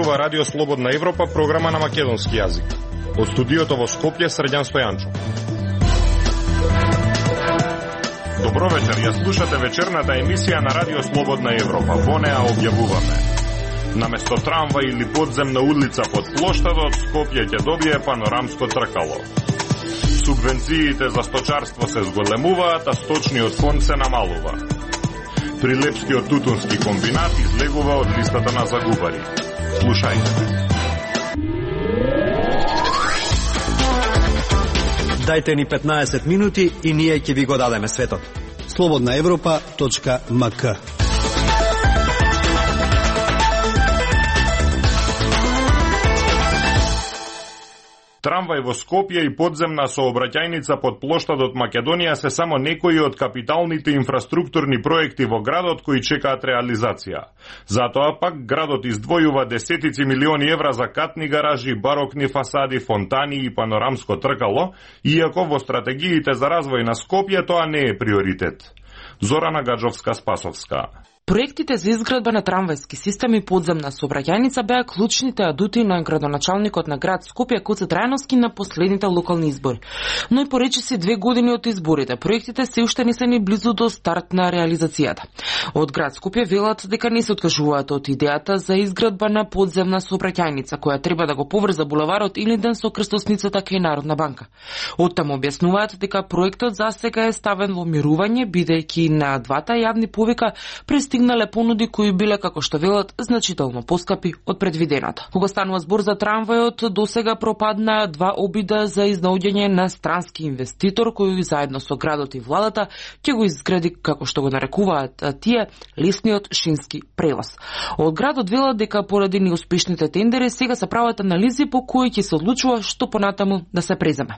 зборува Радио Слободна Европа, програма на македонски јазик. Од студиото во Скопје, Срđan Стојанчо. Добро вечер, ја слушате вечерната емисија на Радио Слободна Европа. Во неа објавуваме: наместо трамва или подземна улица под плоштадот, Скопје ќе добие панорамско тркало. Субвенциите за сточарство се зголемуваат, а сточниот фонд се намалува. Прилепскиот тутунски комбинат излегува од листата на загубари. Слушајте. Дајте ни 15 минути и ние ќе ви го дадеме светот. slobodnaevropa.mk. Трамвај во Скопје и подземна сообраќајница под плоштадот Македонија се само некои од капиталните инфраструктурни проекти во градот кои чекаат реализација. Затоа пак градот издвојува десетици милиони евра за катни гаражи, барокни фасади, фонтани и панорамско тркало, иако во стратегиите за развој на Скопје тоа не е приоритет. Зорана Гаджовска-Спасовска. Проектите за изградба на трамвајски систем и подземна сообраќајница беа клучните адути на градоначалникот на град Скопје Гоце Трајновски на последните локални избори. Но и поречиси 2 години од изборите, проектите се уште не се ни близу до старт на реализацијата. Од град Скопје велат дека не се откажуваат од идејата за изградба на подземна сообраќајница која треба да го поврза булеварот Илинден со крстосницата кај Народна банка. Оттаму објаснуваат дека проектот засега е ставен во мирување, бидејќи на двата јавни повика стигнале понуди кои биле, како што велат, значително поскапи од предвиденото. Кога станува збор за трамвајот, досега пропаднаа 2 обида за изнаоѓање на странски инвеститор кој заедно со градот и владата ќе го изгради, како што го нарекуваат тие, лесниот шински превоз. Од градот велат дека поради неуспешните тендери сега се прават анализи по кои ќе се одлучува што понатаму да се преземе.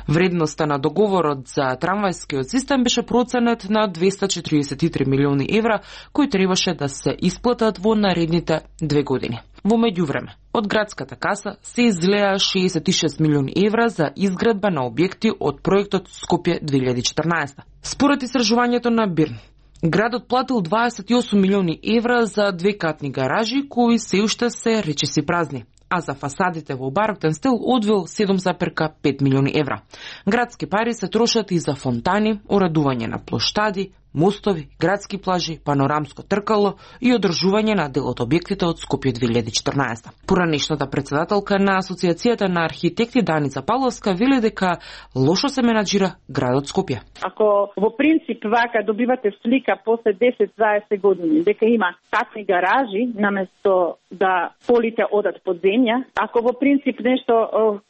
Вредноста на договорот за трамвајскиот систем беше проценет на 243 милиони евра, кои требаше да се исплатат во наредните 2 години. Во меѓувреме, од градската каса се излеа 66 милиони евра за изградба на објекти од проектот Скопје 2014. Според истражувањето на Бирн, градот платил 28 милиони евра за 2 катни гаражи кои се уште се речиси празни, а за фасадите во бароктен стил одвил 7,5 милиони евра. Градски пари се трошат и за фонтани, уредување на плоштади, мостови, градски плажи, панорамско тркало и одржување на дел од објектите од Скопје 2014. Поранешната председателка на Асоциацијата на архитекти Даница Павловска вели дека лошо се менаџира градот Скопје. Ако во принцип вака добивате слика после 10-20 години дека има катни гаражи наместо да полите одат под земја, ако во принцип нешто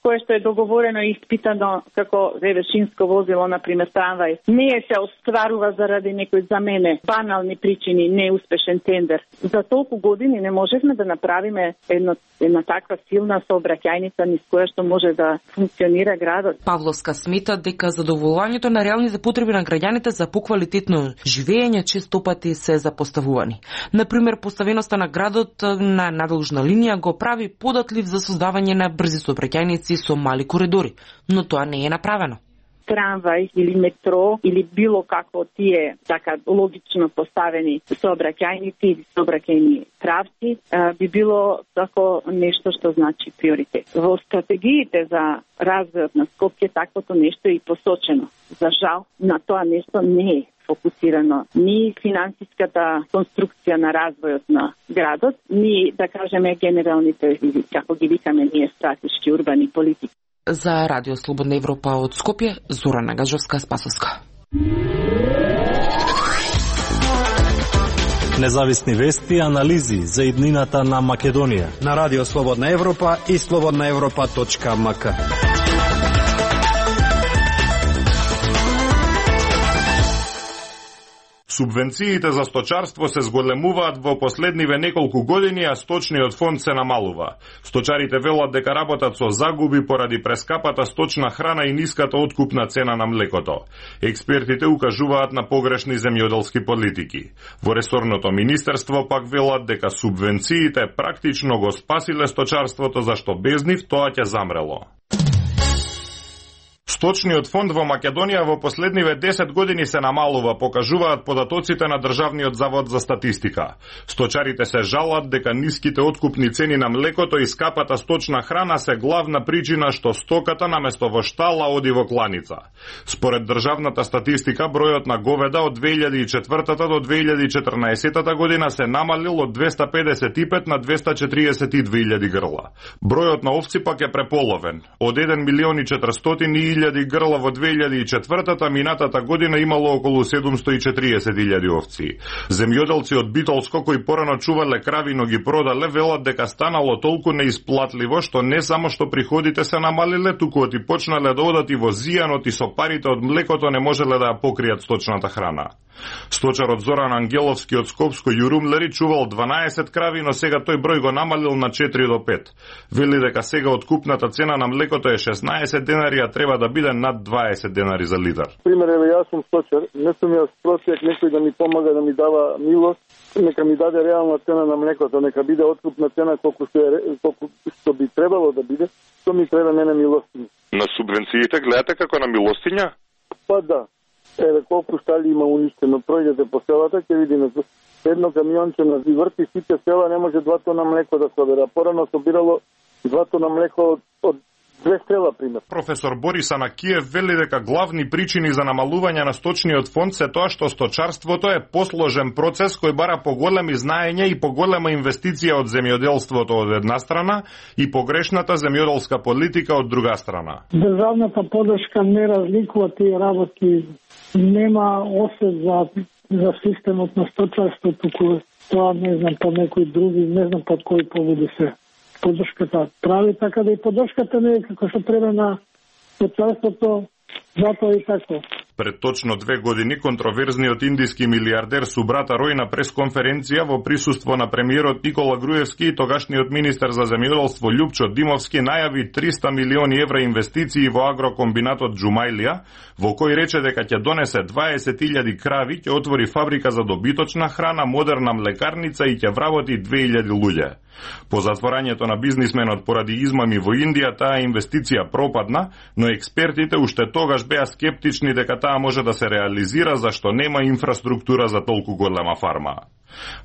кое што е договорено и испитано како ревешинско возило, например трамвај, не се остварува заради некои за мене банални причини, неуспешен тендер. За толку години не можевме да направиме една таква силна сообраќајница низ која што може да функционира градот. Павловска смета дека задоволувањето на реалните потреби на граѓаните за поквалитетно живење често пати се запоставувани. Например, поставеноста на градот на надолжна линија го прави податлив за создавање на брзи сообраќајници со мали коридори, но тоа не е направено. Трамвај или метро или било како тие така логично поставени сообраќајници или сообраќајни правци би било тако нешто што значи приоритет. Во стратегиите за развојот на Скопје таквото нешто е и посочено. За жал, на тоа нешто не е фокусирано ни финансиската конструкција на развојот на градот, ни да кажеме генералните, како ги викаме ние, стратешки урбани политики. За Радио Слободна Европа од Скопје, Зорана Гаджовска-Спасовска. Независни вести и анализи за иднината на Македонија на Радио Слободна Европа и slobodnaevropa.mk. Субвенциите за сточарство се зголемуваат во последниве неколку години, а сточниот фонд се намалува. Сточарите велат дека работат со загуби поради прескапата сточна храна и ниската откупна цена на млекото. Експертите укажуваат на погрешни земјоделски политики. Во ресорното министерство пак велат дека субвенциите практично го спасиле сточарството, зашто без нив тоа ќе замрело. Сточниот фонд во Македонија во последниве 10 години се намалува, покажуваат податоците на Државниот завод за статистика. Сточарите се жалат дека ниските откупни цени на млекото и скапата сточна храна се главна причина што стоката наместо во штала оди во кланица. Според државната статистика, бројот на говеда од 2004 до 2014 година се намалил од 255 на 242.000 грла. Бројот на овци пак е преполовен. Од 1.400.000 грла во 2004-та, минатата година имало околу 740.000 овци. Земјоделци од Битолско кои порано чувале крави, но ги продале, велат дека станало толку неисплатливо што не само што приходите се намалиле, туку и почнале да одат и во зијанот и со парите од млекото не можеле да ја покријат сточната храна. Сточарот Зоран Ангеловски од Скопско Јурумлери чувал 12 крави, но сега тој број го намалил на 4 до 5. Вели дека сега откупната цена на млекото е 16 денари, а треба да биде над 20 денари за литар. Пример, јас сум сточар, не сум јас просек некој да ми помага, да ми дава милост, нека ми даде реална цена на млекото, нека биде откупна цена колку што би требало да биде, што ми треба мене милостиња. На субвенциите гледате како на милостиња? Па да. Еве колку штали има уништено, пројдете по селата, ќе видиме едно камионче на врти сите села, не може 2 тона млеко да собира. Порано собирало 2 тона млеко од 2 села, пример. Професор Борис Анакиев вели дека главни причини за намалување на сточниот фонд се тоа што сточарството е посложен процес кој бара поголеми знаења и поголема инвестиција од земјоделството од една страна и погрешната земјоделска политика од друга страна. Државната поддршка не разликува тие работи, нема осет за системот на сточарство, туку тоа не знам по некои други, не знам под кои поводи се поддршката прави, така да и поддршката не е како што треба на сточарството, затоа и така. Пред точно 2 години контроверзниот индиски милиардер Субрата Рој на пресконференција во присуство на премиерот Никола Груевски и тогашниот министер за земјоделство Љупчо Димовски најави 300 милиони евра инвестиции во агрокомбинатот Џумајлија, во кој рече дека ќе донесе 20.000 крави, ќе отвори фабрика за добиточна храна, модерна млекарница и ќе вработи 2.000 луѓе. По затворањето на бизнисменот поради измами во Индија, таа инвестиција пропадна, но експертите уште тогаш беа скептични дека таа може да се реализира зашто нема инфраструктура за толку голема фарма.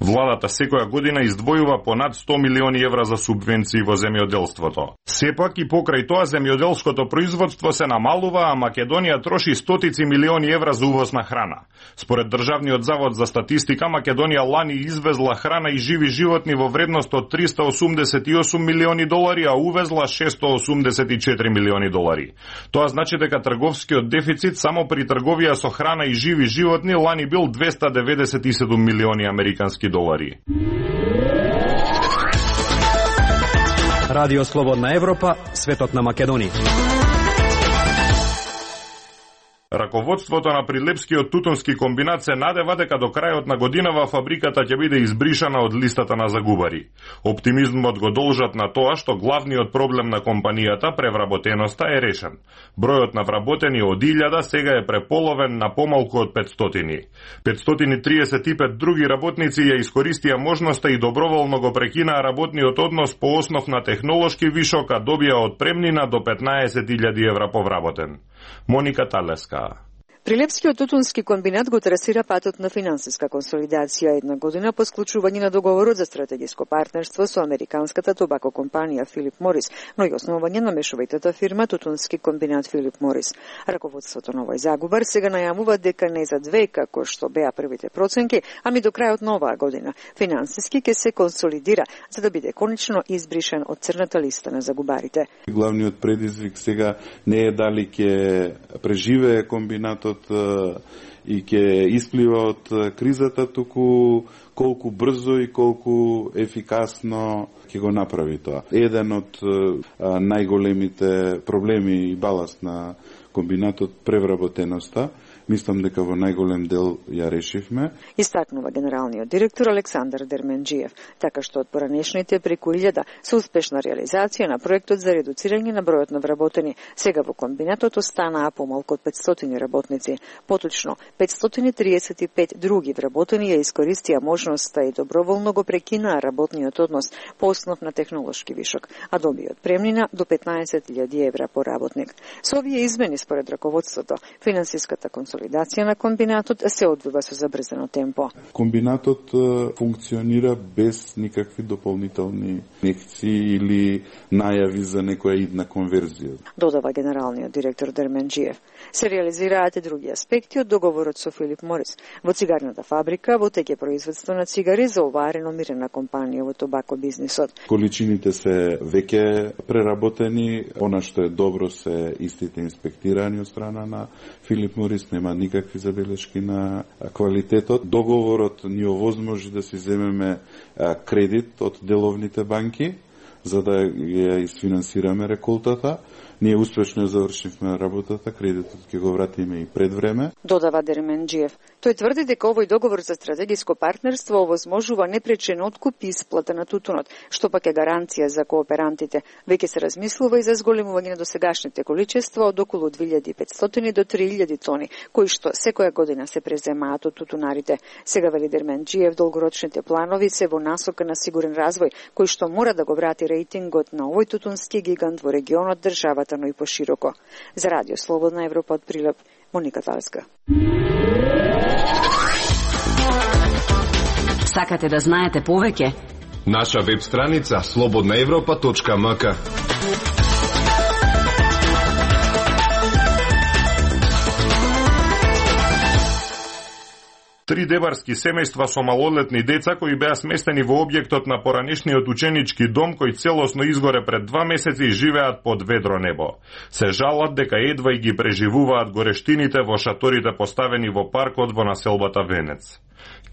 Владата секоја година издвојува по над 100 милиони евра за субвенции во земјоделството. Сепак и покрај тоа земјоделското производство се намалува, а Македонија троши стотици милиони евра за увоз на храна. Според Државниот завод за статистика, Македонија лани извезла храна и живи животни во вредност од 388 милиони долари, а увезла 684 милиони долари. Тоа значи дека трговскиот дефицит само при трговија со храна и живи животни лани бил 297 милиони американски долари. Радио Слободна Европа, светот на Македонија. Раководството на Прилепскиот тутунски комбинат се надева дека до крајот на годинава фабриката ќе биде избришана од листата на загубари. Оптимизмот го должат на тоа што главниот проблем на компанијата, превработеноста, е решен. Бројот на вработени од 1000 сега е преполовен на помалку од 500. 535 други работници ја искористија можноста и доброволно го прекинаа работниот однос по основ на технолошки вишок, а добија отпремнина до 15.000 евра по вработен. Моника Талеска. Прилепскиот тутунски комбинат го трасира патот на финансиска консолидација една година по склучување на договорот за стратегиско партнерство со американската табако компанија Филип Морис, но и основање на мешовитата фирма Тутунски комбинат Филип Морис. Раководството на овој загубар сега најавува дека не за 2, како што беа првите проценки, ами до крајот на оваа година финансиски ќе се консолидира за да биде конечно избришен од црната листа на загубарите. Главниот предизвик сега не е дали ќе преживее комбинатот и ќе исплива од кризата, туку колку брзо и колку ефикасно ќе го направи тоа. Еден од најголемите проблеми и баласт на комбинатот превработеноста. мислам дека во најголем дел ја решивме. Истакнува генералниот директор Александар Дерменџиев, така што од поранешните преку 1000 со успешна реализација на проектот за редуцирање на бројот на вработени. Сега во комбинатот останаа помалку од 500 работници. Поточно, 535 други вработени ја искористија можноста и доброволно го прекинаа работниот однос по основ на технолошки вишок, а добијат премнина до 15.000 евра по работник. Со овие измени според раководството, финансиската консолидација на комбинатот се одвива со забрзано темпо. Комбинатот функционира без никакви дополнителни инекции или најави за некоја идна конверзија. Додава генералниот директор Дерменџиев. Се реализираат и други аспекти од договорот со Филип Морис. Во цигарната фабрика, во теќе производство на цигари за оваа реномирана компанија во тобако бизнисот. Количините се веќе преработени, она што е добро се истите инспектирани од страна на Филип Морис, нема никакви забелешки на квалитетот. Договорот ни овозможи да си земеме кредит од деловните банки, за да ја изфинансираме реколтата. Ние успешно завршивме работата, кредитот ќе го вратиме и пред време. Додава Дерменџиев. Тој тврди дека овој договор за стратегиско партнерство овозможува непречен откуп и исплата на тутунот, што пак е гаранција за кооперантите. Веќе се размислува и за зголемување на досегашните количества од околу 2500 до 3000 тони, кои што секоја година се преземаат од тутунарите. Сега вели Дерменџиев, долгорочните планови се во насока на сигурен развој, кој што мора да го врати рейтингот на овој тутунски гигант во регионот, државата, но и пошироко. За Радио Слободна Европа од Прилеп, Моника Талска. Сакате да знаете повеќе? Наша веб страница slobodnaevropa.mk. Три дебарски семејства со малолетни деца кои беа сместени во објектот на поранешниот ученички дом кој целосно изгоре пред 2 месеци живеат под ведро небо. Се жалат дека едва и ги преживуваат горештините во шаторите поставени во паркот во населбата Венец.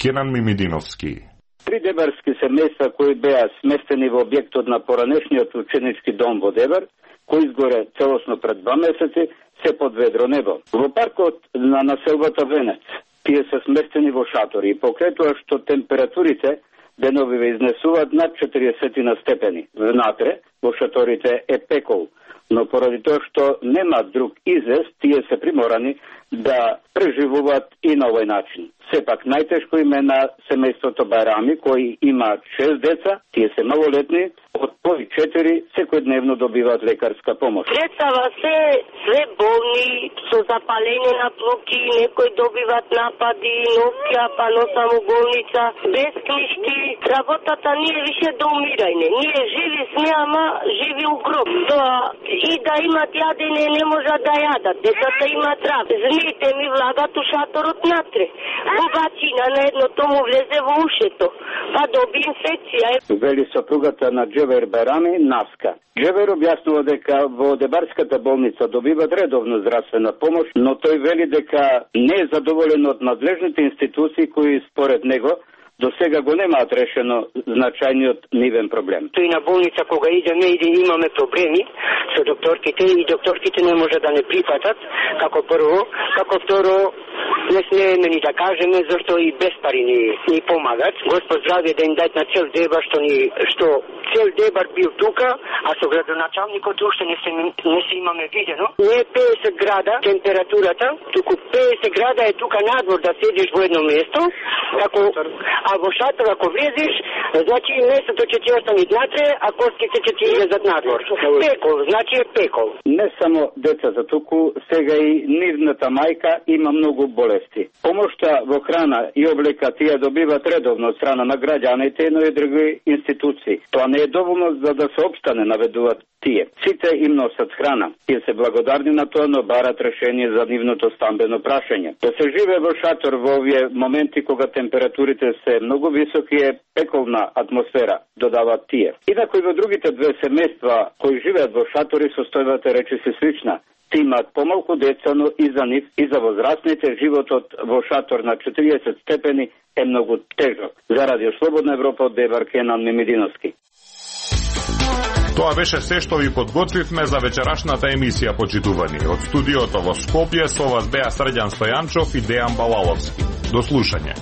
Кенан Мимидиновски. Три дебарски семејства кои беа сместени во објектот на поранешниот ученички дом во Дебар, кој изгоре целосно пред 2 месеци, се под ведро небо. Во паркот на населбата Венец тие се сместени во шатори и покрај тоа што температурите деновиве изнесуваат над 40 степени. Внатре во шаторите е пекол, но поради тоа што нема друг излез, тие се приморани да преживуваат и на овој начин. Сепак најтешко им е на семејството Байрами, кои имаат 6 деца, тие се малолетни, од кои 4 секојдневно добиваат лекарска помош. Представа се све болни, со запалење на плоки, некои добиват напади, ноќа, па носам у болница, без книжки. Работата не е више до умирање. Ние живи сме, ама живи у гроб. Тоа и да имат јадење не можат да јадат. Децата имат рак. Змиите ми влагат у шаторот натре. Бубачина на едното му влезе во ушето, па доби инфекција. Вели сопругата на Джевер Байрами, Наска. Джевер објаснува дека во Дебарската болница добиват редовно здравствена помош, но тој вели дека не е задоволен од надлежните институции кои според него до сега го немаат решено значајниот нивен проблем. Тој на болница кога идеме и имаме проблеми со докторките и докторките не може да не прифатат, како прво, како второ не смееме ни да кажеме зашто и без пари ни помагат. Господ здравје да им дајат на цел Дебар што цел Дебар бил тука, а со градоначалникот уште не се имаме видено. Не е 50 града температурата, туку 50 града е тука надвор да седиш во едно место, како а во шатор ако влезеш, значи местото ќе ти остане натре, а коските ќе ти излезат надвор. Пекол, значи е пекол. Не само децата туку, сега и нивната мајка има многу болести. Помошта во храна и облека тие добиват редовно од страна на граѓаните, но и други институции. Тоа не е доволно за да се опстане, наведуваат тие. Сите им носат храна. Тие се благодарни на тоа, но барат решение за нивното стамбено прашање. Да се живее во шатор во овие моменти кога температурите се многу високи е пеколна атмосфера, додаваат тие. Инаку и во другите две семејства кои живеат во шатори состојбата речиси слична. Ти имаат помалку деца, но и за нив и за возрастните животот во шатор на 40 степени е многу тежок. За Радио Слободна Европа од Дебар, Кенан Мимидиновски. Тоа беше се што ви подготвивме за вечерашната емисија, почитувани. Од студиото во Скопје со вас беа Срđan Стојанчов и Дејан Балаловски. До слушање.